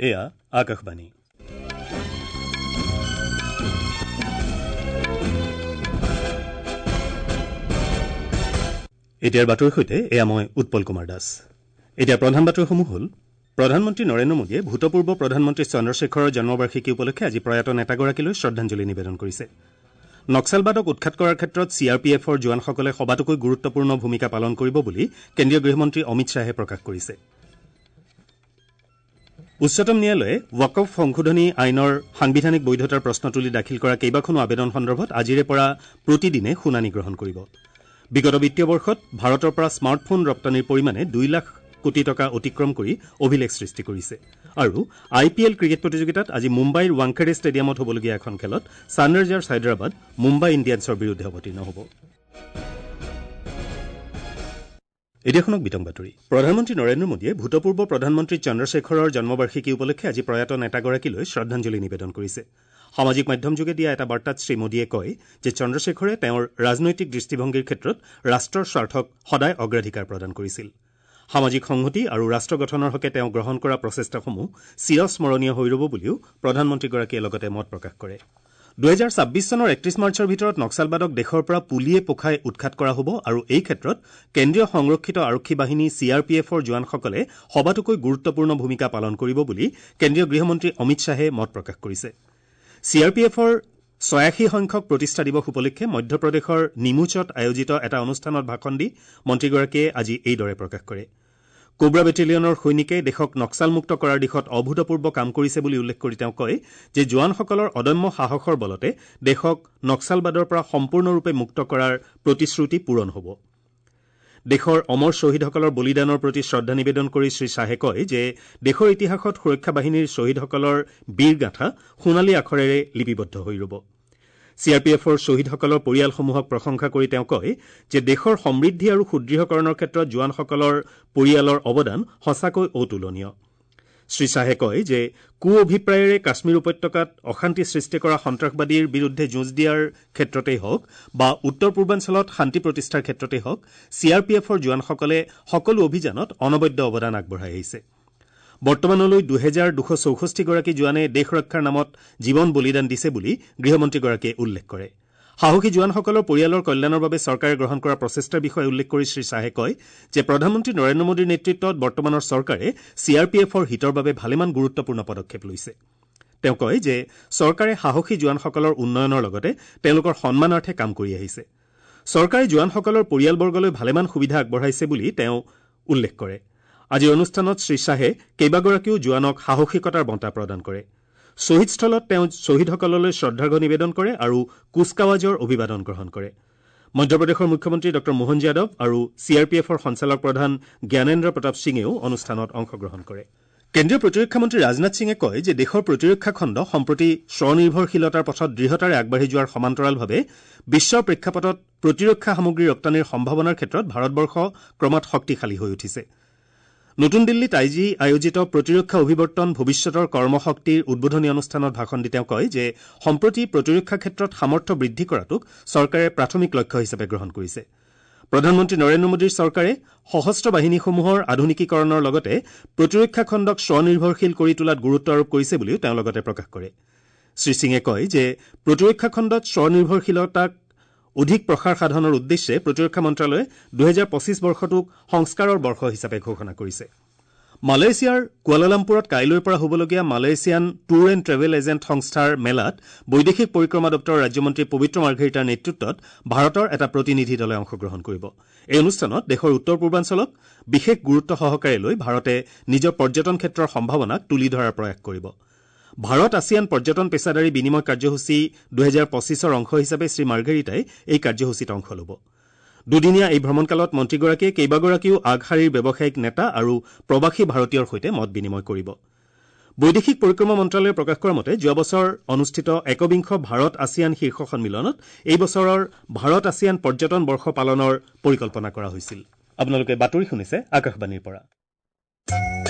এয়া আকাশবাণী। এতিয়াৰ বাতৰিৰ সৈতে এয়া মই উৎপল কুমাৰ দাস। এতিয়া প্ৰধান বাতৰিসমূহ হ'ল: প্ৰধানমন্ত্ৰী নৰেন্দ্ৰ মোদীয়ে ভূতপূৰ্ব প্ৰধানমন্ত্ৰী চন্দ্ৰশেখৰৰ জন্মবাৰ্ষিকী উপলক্ষে আজি প্ৰয়াত নেতাগৰাকীলৈ শ্ৰদ্ধাঞ্জলি নিবেদন কৰিছে। নক্সালবাদক উৎখাত কৰাৰ ক্ষেত্ৰত চি আৰ পি এফৰ জোৱানসকলে সবাতোকৈ গুৰুত্বপূৰ্ণ ভূমিকা পালন কৰিব বুলি কেন্দ্ৰীয় গৃহমন্ত্ৰী অমিত শ্বাহে প্ৰকাশ কৰিছে। উচ্চতম ন্যায়ালয়ে ৱাকফ সংশোধনী আইনৰ সাংবিধানিক বৈধতাৰ প্ৰশ্ন তুলি দাখিল কৰা কেইবাখনো আবেদন সন্দৰ্ভত আজিৰে পৰা প্ৰতিদিনে শুনানি গ্ৰহণ কৰিব। বিগত বিত্তীয় বৰ্ষত ভাৰতৰ পৰা স্মাৰ্টফোন ৰপ্তানিৰ পৰিমাণে 2 লাখ কোটি টকা অতিক্ৰম কৰি অভিলেখ সৃষ্টি কৰিছে। আৰু আই পি এল ক্ৰিকেট প্ৰতিযোগিতাত আজি মুম্বাইৰ ৱাংখেড়ে ষ্টেডিয়ামত হ'বলগীয়া এখন খেলত ছানৰাইজাৰ্ছ হায়দৰাবাদ মুম্বাই ইণ্ডিয়ানছৰ বিৰুদ্ধে অৱতীৰ্ণ হ'ব। এতিয়া শুনক বিতং বাতৰি। প্ৰধানমন্ত্ৰী নৰেন্দ্ৰ মোদীয়ে ভূতপূৰ্ব প্ৰধানমন্ত্ৰী চন্দ্ৰশেখৰৰ জন্মবাৰ্ষিকী উপলক্ষে আজি প্ৰয়াত নেতাগৰাকীলৈ শ্ৰদ্ধাঞ্জলি নিবেদন কৰিছে। সামাজিক মাধ্যমযোগে দিয়া এটা বাৰ্তাত শ্ৰী মোদীয়ে কয় যে চন্দ্ৰশেখৰে তেওঁৰ ৰাজনৈতিক দৃষ্টিভংগীৰ ক্ষেত্ৰত ৰাষ্ট্ৰৰ স্বাৰ্থক সদায় অগ্ৰাধিকাৰ প্ৰদান কৰিছিল। সামাজিক সংহতি আৰু ৰাষ্ট্ৰ গঠনৰ হকে তেওঁ গ্ৰহণ কৰা প্ৰচেষ্টাসমূহ চিৰস্মৰণীয় হৈ ৰ'ব বুলিও প্ৰধানমন্ত্ৰীগৰাকীয়ে লগতে মত প্ৰকাশ কৰে। 2026 চনৰ 31 মাৰ্চৰ ভিতৰত নক্সালবাদক দেশৰ পৰা পুলিয়ে পোখাই উৎখাত কৰা হ'ব আৰু এই ক্ষেত্ৰত কেন্দ্ৰীয় সংৰক্ষিত আৰক্ষী বাহিনী চি আৰ পি এফৰ জোৱানসকলে সবাতোকৈ গুৰুত্বপূৰ্ণ ভূমিকা পালন কৰিব বুলি কেন্দ্ৰীয় গৃহমন্ত্ৰী অমিত শ্বাহে মত প্ৰকাশ কৰিছে। চি আৰ পি এফৰ 86 সংখ্যক প্ৰতিষ্ঠা দিৱস উপলক্ষে মধ্যপ্ৰদেশৰ নিমুচত আয়োজিত এটা অনুষ্ঠানত ভাষণ দি মন্ত্ৰীগৰাকীয়ে আজি এইদৰে প্ৰকাশ কৰে। কোব্ৰা বেটেলিয়নৰ সৈনিকে দেশক নক্সালমুক্ত কৰাৰ দিশত অভূতপূৰ্ব কাম কৰিছে বুলি উল্লেখ কৰি তেওঁ কয় যে জোৱানসকলৰ অদম্য সাহসৰ বলতে দেশক নক্সালবাদৰ পৰা সম্পূৰ্ণৰূপে মুক্ত কৰাৰ প্ৰতিশ্ৰুতি পূৰণ হ'ব। দেশৰ অমৰ শ্বহীদসকলৰ বলিদানৰ প্ৰতি শ্ৰদ্ধা নিবেদন কৰি শ্ৰী শ্বাহে কয় যে দেশৰ ইতিহাসত সুৰক্ষা বাহিনীৰ শ্বহীদসকলৰ বীৰগাথা সোণালী আখৰেৰে লিপিবদ্ধ হৈ ৰ'ব। চি আৰ পি এফৰ শ্বহীদসকলৰ পৰিয়ালসমূহক প্ৰশংসা কৰি তেওঁ কয় যে দেশৰ সমৃদ্ধি আৰু সুদৃঢ়কৰণৰ ক্ষেত্ৰত জোৱানসকলৰ পৰিয়ালৰ অৱদান সঁচাকৈ অতুলনীয়। শ্ৰী শ্বাহে কয় যে কু অভিপ্ৰায়েৰে কাশ্মীৰ উপত্যকাত অশান্তি সৃষ্টি কৰা সন্ত্ৰাসবাদীৰ বিৰুদ্ধে যুঁজ দিয়াৰ ক্ষেত্ৰতেই হওক বা উত্তৰ পূৰ্বাঞ্চলত শান্তি প্ৰতিষ্ঠাৰ ক্ষেত্ৰতেই হওক, চি আৰ পি এফৰ জোৱানসকলে সকলো অভিযানত অনবদ্য অৱদান আগবঢ়াই আহিছে। বৰ্তমানলৈ 2264গৰাকী জোৱানে দেশ ৰক্ষাৰ নামত জীৱন বলিদান দিছে বুলি গৃহমন্ত্ৰীগৰাকীয়ে উল্লেখ কৰে। সাহসী জোৱানসকলৰ পৰিয়ালৰ কল্যাণৰ বাবে চৰকাৰে গ্ৰহণ কৰা প্ৰচেষ্টাৰ বিষয়ে উল্লেখ কৰি শ্ৰী শ্বাহে কয় যে প্ৰধানমন্ত্ৰী নৰেন্দ্ৰ মোদীৰ নেতৃত্বত বৰ্তমানৰ চৰকাৰে চি আৰ পি এফৰ হিতৰ বাবে ভালেমান গুৰুত্বপূৰ্ণ পদক্ষেপ লৈছে। তেওঁ কয় যে চৰকাৰে সাহসী জোৱানসকলৰ উন্নয়নৰ লগতে তেওঁলোকৰ সন্মানাৰ্থে কাম কৰি আহিছে। চৰকাৰে জোৱানসকলৰ পৰিয়ালবৰ্গলৈ ভালেমান সুবিধা আগবঢ়াইছে বুলি তেওঁ উল্লেখ কৰে। আজিৰ অনুষ্ঠানত শ্ৰী শ্বাহে কেইবাগৰাকীও জোৱানক সাহসিকতাৰ বঁটা প্ৰদান কৰে। শ্বহীদস্থলত তেওঁ শ্বহীদসকললৈ শ্ৰদ্ধাৰ্ঘ নিবেদন কৰে আৰু কুচকাৱাজৰ অভিবাদন গ্ৰহণ কৰে। মধ্যপ্ৰদেশৰ মুখ্যমন্ত্ৰী ডঃ মোহন যাদৱ আৰু চি আৰ পি এফৰ সঞ্চালক প্ৰধান জ্ঞানেন্দ্ৰ প্ৰতাপ সিঙেও অনুষ্ঠানত অংশগ্ৰহণ কৰে। কেন্দ্ৰীয় প্ৰতিৰক্ষা মন্ত্ৰী ৰাজনাথ সিঙে কয় যে দেশৰ প্ৰতিৰক্ষা খণ্ড সম্প্ৰতি স্বনিৰ্ভৰশীলতাৰ পথত দৃঢ়তাৰে আগবাঢ়ি যোৱাৰ সমান্তৰালভাৱে বিশ্বৰ প্ৰেক্ষাপটত প্ৰতিৰক্ষা সামগ্ৰী ৰপ্তানিৰ সম্ভাৱনাৰ ক্ষেত্ৰত ভাৰতবৰ্ষ ক্ৰমাৎ শক্তিশালী হৈ উঠিছে। নতুন দিল্লীত আজি আয়োজিত প্ৰতিৰক্ষা অভিৱৰ্তন ভৱিষ্যতৰ কৰ্মশক্তিৰ উদ্বোধনী অনুষ্ঠানত ভাষণ দি তেওঁ কয় যে সম্প্ৰতি প্ৰতিৰক্ষা ক্ষেত্ৰত সামৰ্থ্য বৃদ্ধি কৰাটোক চৰকাৰে প্ৰাথমিক লক্ষ্য হিচাপে গ্ৰহণ কৰিছে। প্ৰধানমন্ত্ৰী নৰেন্দ্ৰ মোদীৰ চৰকাৰে সশস্ত্ৰ বাহিনীসমূহৰ আধুনিকীকৰণৰ লগতে প্ৰতিৰক্ষা খণ্ডক স্বনিৰ্ভৰশীল কৰি তোলাত গুৰুত্ব আৰোপ কৰিছে বুলিও তেওঁ লগতে প্ৰকাশ কৰে। শ্ৰী সিঙে কয় যে প্ৰতিৰক্ষা খণ্ডত স্বনিৰ্ভৰশীলতাক অধিক প্ৰসাৰ সাধনৰ উদ্দেশ্যে প্ৰতিৰক্ষা মন্ত্ৰালয়ে 2025 বৰ্ষটোক সংস্কাৰৰ বৰ্ষ হিচাপে ঘোষণা কৰিছে। মালয়েছিয়াৰ কুৱালালামপুৰত কাইলৈৰ পৰা হ'বলগীয়া Malaysian tour and travel agent সংস্থাৰ মেলাত বৈদেশিক পৰিক্ৰমা দপ্তৰৰ ৰাজ্যমন্ত্ৰী পবিত্ৰ মাৰ্ঘেৰিটাৰ নেতৃত্বত ভাৰতৰ এটা প্ৰতিনিধি দলে অংশগ্ৰহণ কৰিব। এই অনুষ্ঠানত দেশৰ উত্তৰ পূৰ্বাঞ্চলক বিশেষ গুৰুত্ব সহকাৰে লৈ ভাৰতে নিজৰ পৰ্যটন ক্ষেত্ৰৰ সম্ভাৱনাক তুলি ধৰাৰ প্ৰয়াস কৰিব। ভাৰত আছিয়ান পৰ্যটন পেছাদাৰী বিনিময় কাৰ্যসূচী 2025ৰ অংশ হিচাপে শ্ৰী মাৰ্ঘেৰিটাই এই কাৰ্যসূচীত অংশ ল'ব। দুদিনীয়া এই ভ্ৰমণকালত মন্ত্ৰীগৰাকীয়ে কেইবাগৰাকীও আগশাৰীৰ ব্যৱসায়িক নেতা আৰু প্ৰৱাসী ভাৰতীয়ৰ সৈতে মত বিনিময় কৰিব। বৈদেশিক পৰিক্ৰমা মন্ত্ৰালয়ে প্ৰকাশ কৰা মতে যোৱা বছৰ অনুষ্ঠিত একবিংশ ভাৰত আছিয়ান শীৰ্ষ সন্মিলনত এই বছৰৰ ভাৰত আছিয়ান পৰ্যটন বৰ্ষ পালনৰ পৰিকল্পনা কৰা হৈছিল। আপোনালোকে বাতৰি শুনিছে আকাশবাণীৰ পৰা।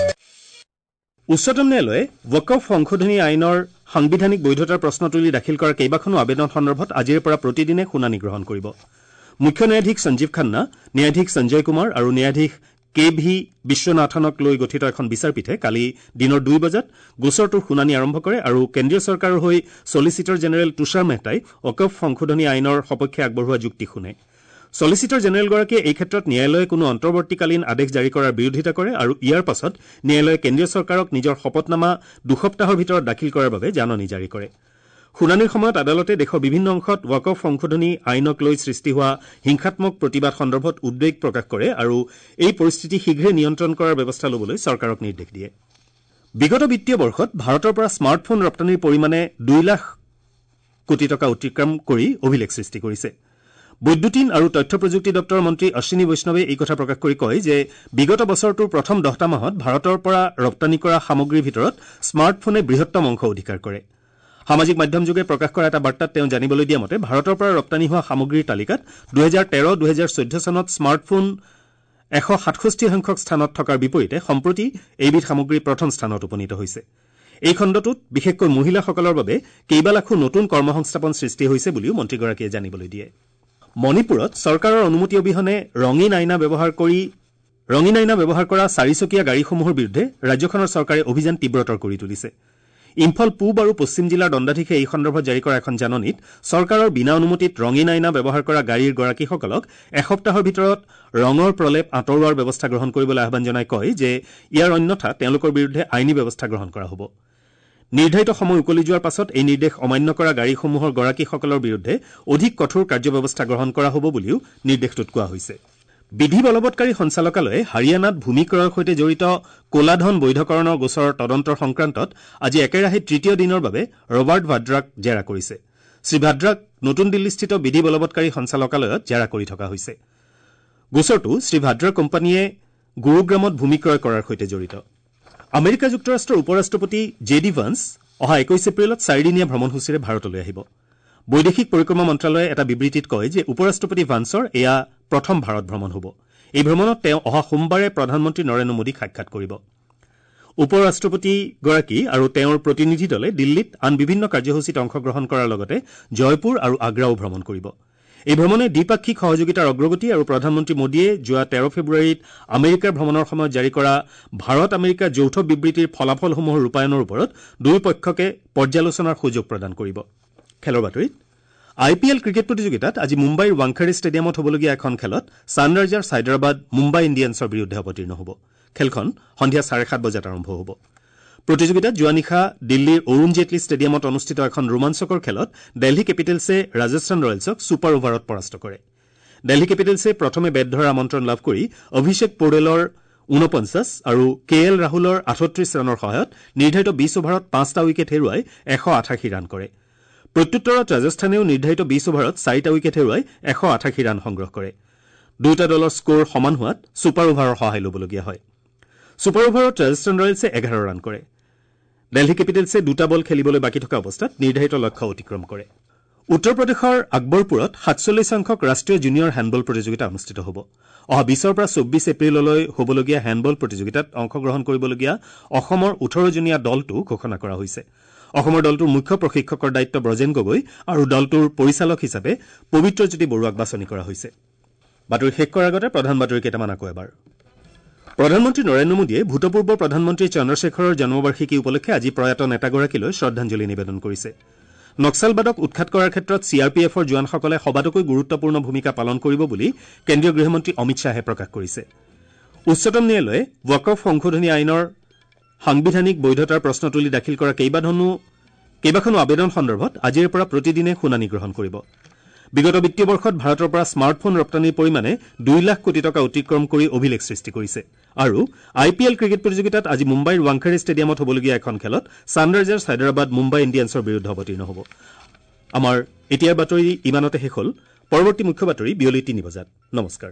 উচ্চতম ন্যায়ালয়ে ৱাকফ সংশোধনী আইনৰ সাংবিধানিক বৈধতাৰ প্ৰশ্ন তুলি দাখিল কৰা কেইবাখনো আবেদন সন্দৰ্ভত আজিৰে পৰা প্ৰতিদিনে শুনানি গ্ৰহণ কৰিব। মুখ্য ন্যায়াধীশ সঞ্জীৱ খান্না, ন্যায়াধীশ সঞ্জয় কুমাৰ আৰু ন্যায়াধীশ কে ভি বিশ্বনাথনক লৈ গঠিত এখন বিচাৰপীঠে কালি দিনৰ 2 বজাত গোচৰটোৰ শুনানি আৰম্ভ কৰে আৰু কেন্দ্ৰীয় চৰকাৰৰ হৈ ছলিচিটৰ জেনেৰেল তুষাৰ মেহতাই ৱাকফ সংশোধনী আইনৰ সপক্ষে আগবঢ়োৱা যুক্তি শুনে। ছলিচিটৰ জেনেৰেলগৰাকীয়ে এই ক্ষেত্ৰত ন্যায়ালয়ে কোনো অন্তৰ্বৰ্তীকালীন আদেশ জাৰি কৰাৰ বিৰোধিতা কৰে আৰু ইয়াৰ পাছত ন্যায়ালয়ে কেন্দ্ৰীয় চৰকাৰক নিজৰ শপতনামা 2 সপ্তাহৰ ভিতৰত দাখিল কৰাৰ বাবে জাননী জাৰি কৰে। শুনানিৰ সময়ত আদালতে দেশৰ বিভিন্ন অংশত ৱাকফ সংশোধনী আইনক লৈ সৃষ্টি হোৱা হিংসাত্মক প্ৰতিবাদ সন্দৰ্ভত উদ্বেগ প্ৰকাশ কৰে আৰু এই পৰিস্থিতি শীঘ্ৰে নিয়ন্ত্ৰণ কৰাৰ ব্যৱস্থা ল'বলৈ চৰকাৰক নিৰ্দেশ দিয়ে। বিগত বিত্তীয় বৰ্ষত ভাৰতৰ পৰা স্মাৰ্টফোন ৰপ্তানিৰ পৰিমাণে 2 লাখ কোটি টকা অতিক্ৰম কৰি অভিলেখ সৃষ্টি কৰিছে। বৈদ্যুতিন আৰু তথ্য প্ৰযুক্তি দপ্তৰৰ মন্ত্ৰী অশ্বিনী বৈষ্ণৱে এই কথা প্ৰকাশ কৰি কয় যে বিগত বছৰটোৰ প্ৰথম 10টা মাহত ভাৰতৰ পৰা ৰপ্তানি কৰা সামগ্ৰীৰ ভিতৰত স্মাৰ্টফোনে বৃহত্তম অংশ অধিকাৰ কৰে। সামাজিক মাধ্যমযোগে প্ৰকাশ কৰা এটা বাৰ্তাত তেওঁ জানিবলৈ দিয়া মতে ভাৰতৰ পৰা ৰপ্তানি হোৱা সামগ্ৰীৰ তালিকাত 2013-2014 চনত স্মাৰ্টফোন 167 সংখ্যক স্থানত থকাৰ বিপৰীতে সম্প্ৰতি এইবিধ সামগ্ৰী প্ৰথম স্থানত উপনীত হৈছে। এই খণ্ডটোত বিশেষকৈ মহিলাসকলৰ বাবে কেইবালাখো নতুন কৰ্মসংস্থাপন সৃষ্টি হৈছে বুলিও মন্ত্ৰীগৰাকীয়ে জানিবলৈ দিয়ে। মণিপুৰত চৰকাৰৰ অনুমতি অবিহনে ৰঙীন আইনা ব্যৱহাৰ কৰা চাৰিচকীয়া গাড়ীসমূহৰ বিৰুদ্ধে ৰাজ্যখনৰ চৰকাৰে অভিযান তীব্ৰতৰ কৰি তুলিছে। ইম্ফল পূব আৰু পশ্চিম জিলাৰ দণ্ডাধীশে এই সন্দৰ্ভত জাৰি কৰা এখন জাননীত চৰকাৰৰ বিনা অনুমতিত ৰঙীন আইনা ব্যৱহাৰ কৰা গাড়ীৰ গৰাকীসকলক এসপ্তাহৰ ভিতৰত ৰঙৰ প্ৰলেপ আঁতৰোৱাৰ ব্যৱস্থা গ্ৰহণ কৰিবলৈ আহ্বান জনাই কয় যে ইয়াৰ অন্যথা তেওঁলোকৰ বিৰুদ্ধে আইনী ব্যৱস্থা গ্ৰহণ কৰা হ'ব। নিৰ্ধাৰিত সময় উকলি যোৱাৰ পাছত এই নিৰ্দেশ অমান্য কৰা গাড়ীসমূহৰ গৰাকীসকলৰ বিৰুদ্ধে অধিক কঠোৰ কাৰ্যব্যৱস্থা গ্ৰহণ কৰা হ'ব বুলিও নিৰ্দেশটোত কোৱা হৈছে। বিধি বলবৎকাৰী সঞ্চালকালয়ে হাৰিয়ানাত ভূমি ক্ৰয়ৰ সৈতে জড়িত ক'লাধন বৈধকৰণৰ গোচৰৰ তদন্তৰ সংক্ৰান্তত আজি একেৰাহে তৃতীয় দিনৰ বাবে ৰবাৰ্ট ভাদ্ৰাক জেৰা কৰিছে। শ্ৰীভাদ্ৰাক নতুন দিল্লীস্থিত বিধি বলবৎকাৰী সঞ্চালকালয়ত জেৰা কৰি থকা হৈছে। গোচৰটো শ্ৰীভাদ্ৰাৰ কোম্পানীয়ে গুৰুগ্ৰামত ভূমি ক্ৰয় কৰাৰ সৈতে জড়িত। আমেৰিকা যুক্তৰাষ্ট্ৰৰ উপ ৰাষ্ট্ৰপতি জে ডি ভান্স অহা 21 এপ্ৰিলত চাৰিদিনীয়া ভ্ৰমণসূচীৰে ভাৰতলৈ আহিব। বৈদেশিক পৰিক্ৰমা মন্ত্ৰালয়ে এটা বিবৃতিত কয় যে উপ ৰাষ্ট্ৰপতি ভান্সৰ এয়া প্ৰথম ভাৰত ভ্ৰমণ হ'ব। এই ভ্ৰমণত তেওঁ অহা সোমবাৰে প্ৰধানমন্ত্ৰী নৰেন্দ্ৰ মোদীক সাক্ষাৎ কৰিব। উপ ৰাষ্ট্ৰপতিগৰাকী আৰু তেওঁৰ প্ৰতিনিধি দলে দিল্লীত আন বিভিন্ন কাৰ্যসূচীত অংশগ্ৰহণ কৰাৰ লগতে জয়পুৰ আৰু আগ্ৰাও ভ্ৰমণ কৰিব। এই ভ্ৰমণে দ্বিপাক্ষিক সহযোগিতাৰ অগ্ৰগতি আৰু প্ৰধানমন্ত্ৰী মোদীয়ে যোৱা 13 ফেব্ৰুৱাৰীত আমেৰিকাৰ ভ্ৰমণৰ সময়ত জাৰি কৰা ভাৰত আমেৰিকা যৌথ বিবৃতিৰ ফলাফলসমূহৰ ৰূপায়ণৰ ওপৰত দুয়ো পক্ষকে পৰ্যালোচনাৰ সুযোগ প্ৰদান কৰিব। খেলৰ বাতৰিত আই পি এল ক্ৰিকেট প্ৰতিযোগিতাত আজি মুম্বাইৰ ৱাংখেড়ে ষ্টেডিয়ামত হ'বলগীয়া এখন খেলত ছানৰাইজাৰ্ছ হায়দৰাবাদ মুম্বাই ইণ্ডিয়ানছৰ বিৰুদ্ধে অৱতীৰ্ণ হ'ব। খেলখন সন্ধিয়া 7:30 বজাত আৰম্ভ হ'ব। প্ৰতিযোগিতাত যোৱা নিশা দিল্লীৰ অৰুণ জেটলী ষ্টেডিয়ামত অনুষ্ঠিত এখন ৰোমাঞ্চকৰ খেলত দিল্লী কেপিটেলছে ৰাজস্থান ৰয়েলছক ছুপাৰ অভাৰত পৰাস্ত কৰে। দিল্লী কেপিটেলছে প্ৰথমে বেট ধৰাৰ আমন্ত্ৰণ লাভ কৰি অভিষেক পৌৰেলৰ 49 আৰু কে এল ৰাহুলৰ 38 ৰানৰ সহায়ত নিৰ্ধাৰিত 20 অভাৰত 5টা উইকেট হেৰুৱাই 188 ৰান কৰে। প্ৰত্যুত্তৰত ৰাজস্থানেও নিৰ্ধাৰিত 20 অভাৰত 4টা উইকেট হেৰুৱাই 188 ৰান সংগ্ৰহ কৰে। দুয়োটা দলৰ স্ক'ৰ সমান হোৱাত ছুপাৰ অভাৰৰ সহায় ল'বলগীয়া হয়। ছুপাৰ অভাৰত ৰাজস্থান ৰয়েলছে 11 ৰান কৰে। দিল্লী কেপিটেলছে দুটা বল খেলিবলৈ বাকী থকা অৱস্থাত নিৰ্ধাৰিত লক্ষ্য অতিক্ৰম কৰে। উত্তৰ প্ৰদেশৰ আকবৰপুৰত 47 সংখ্যক ৰাষ্ট্ৰীয় জুনিয়ৰ হেণ্ডবল প্ৰতিযোগিতা অনুষ্ঠিত হ'ব। অহা 20ৰ পৰা 24 এপ্ৰিললৈ হ'বলগীয়া হেণ্ডবল প্ৰতিযোগিতাত অংশগ্ৰহণ কৰিবলগীয়া অসমৰ 18জনীয়া দলটো ঘোষণা কৰা হৈছে। অসমৰ দলটোৰ মুখ্য প্ৰশিক্ষকৰ দায়িত্ব ব্ৰজেন গগৈ আৰু দলটোৰ পৰিচালক হিচাপে পবিত্ৰজ্যোতি বৰুৱাক বাছনি কৰা হৈছে। বাতৰি শেষ কৰাৰ আগতে প্ৰধান বাতৰি কেইটামান আকৌ এবাৰ। প্ৰধানমন্ত্ৰী নৰেন্দ্ৰ মোদীয়ে ভূতপূৰ্ব প্ৰধানমন্ত্ৰী চন্দ্ৰশেখৰৰ জন্মবাৰ্ষিকী উপলক্ষে আজি প্ৰয়াত নেতাগৰাকীলৈ শ্ৰদ্ধাঞ্জলি নিবেদন কৰিছে। নক্সালবাদক উৎখাত কৰাৰ ক্ষেত্ৰত চি আৰ পি এফৰ জোৱানসকলে সবাতোকৈ গুৰুত্বপূৰ্ণ ভূমিকা পালন কৰিব বুলি কেন্দ্ৰীয় গৃহমন্ত্ৰী অমিত শ্বাহে প্ৰকাশ কৰিছে। উচ্চতম ন্যায়ালয়ে ৱাকফ সংশোধনী আইনৰ সাংবিধানিক বৈধতাৰ প্ৰশ্ন তুলি দাখিল কৰা কেইবাখনো আবেদন সন্দৰ্ভত আজিৰে পৰা প্ৰতিদিনে শুনানি গ্ৰহণ কৰিব। বিগত বিত্তীয় বৰ্ষত ভাৰতৰ পৰা স্মাৰ্টফোন ৰপ্তানিৰ পৰিমাণে 2 লাখ কোটি টকা অতিক্ৰম কৰি অভিলেখ সৃষ্টি কৰিছে। আৰু আই পি এল ক্ৰিকেট প্ৰতিযোগিতাত আজি মুম্বাইৰ ৱাংখেড়ে ষ্টেডিয়ামত হ'বলগীয়া এখন খেলত ছানৰাইজাৰ্ছ হায়দৰাবাদ মুম্বাই ইণ্ডিয়ানছৰ বিৰুদ্ধে অৱতীৰ্ণ হ'ব। আমাৰ এতিয়াৰ বাতৰি ইমানতে শেষ হ'ল। পৰৱৰ্তী মুখ্য বাতৰি বিয়লি 3 বজাত। নমস্কাৰ।